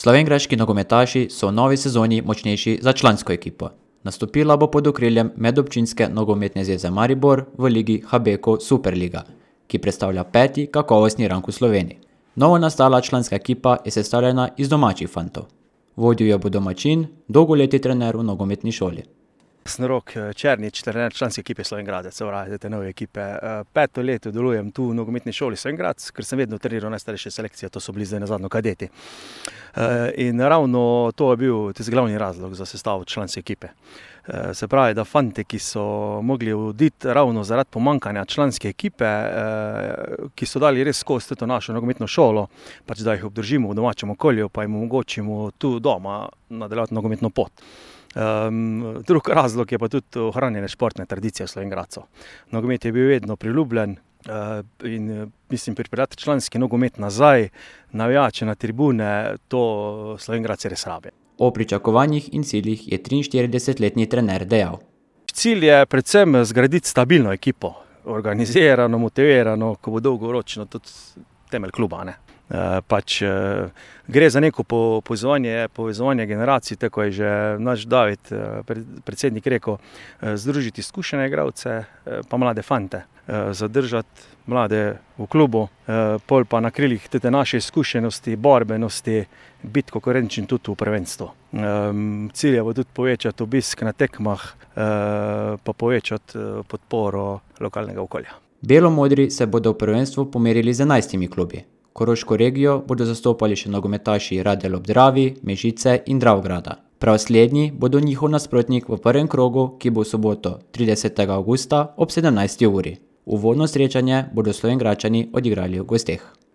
Slovenjgraški nogometaši so v novi sezoni močnejši za člansko ekipo. Nastopila bo pod okriljem Medobčinske nogometne zveze Maribor v ligi Habeko Superliga, ki predstavlja 5. kakovostni rang v Sloveniji. Novo nastala članska ekipa je sestavljena iz domačih fantov. Vodil jo bo domačin, dolgoletni trener v nogometni šoli. Sem Rok Černič, trener članske ekipe Slovenjgradec, se pravi te nove ekipe. 5. leto delujem tu v nogometni šoli Slovenjgradec, ker sem vedno treniral najstarejše selekcije, to so bili zdaj nazadnje kadeti. In ravno to je bil tisti glavni razlog za sestavo članske ekipe. Se pravi, da fante, ki so mogli oditi ravno zaradi pomankanja članske ekipe, ki so dali res skozi to našo nogometno šolo, pač da jih obdržimo v domačem okolju, pa jim omogočimo tu doma nadaljevati nogometno pot. Drug razlog je pa tudi ohranjene športne tradicije Slovenjgradcev. Nogomet je bil vedno priljubljen in mislim pripeljati članski nogomet nazaj, navijače na tribune, to Slovenjgradci res rabijo. O pričakovanjih in ciljih je 43-letni trener dejal. Cilj je predvsem zgraditi stabilno ekipo, organizirano, motivirano, ko bo dolgoročno tudi temelj kluba, ne. Gre za neko povezovanje generacij, tako je že naš David, predsednik, rekel, združiti izkušene igralce pa mlade fante, zadržati mlade v klubu, pol pa na krilih te naše izkušenosti, borbenosti, biti konkurenčen tudi v prvenstvu. Cilj je bo tudi povečati obisk na tekmah, pa povečati podporo lokalnega okolja. Belomodri se bodo v prvenstvu pomerili z 11 klubi. Koroško regijo bodo zastopali še nogometaši Radelj ob Dravi, Mežice in Dravograda. Prav slednji bodo njihov nasprotnik v prvem krogu, ki bo v soboto 30. avgusta ob 17. uri. Uvodno srečanje bodo Slovenjgradčani odigrali v gosteh.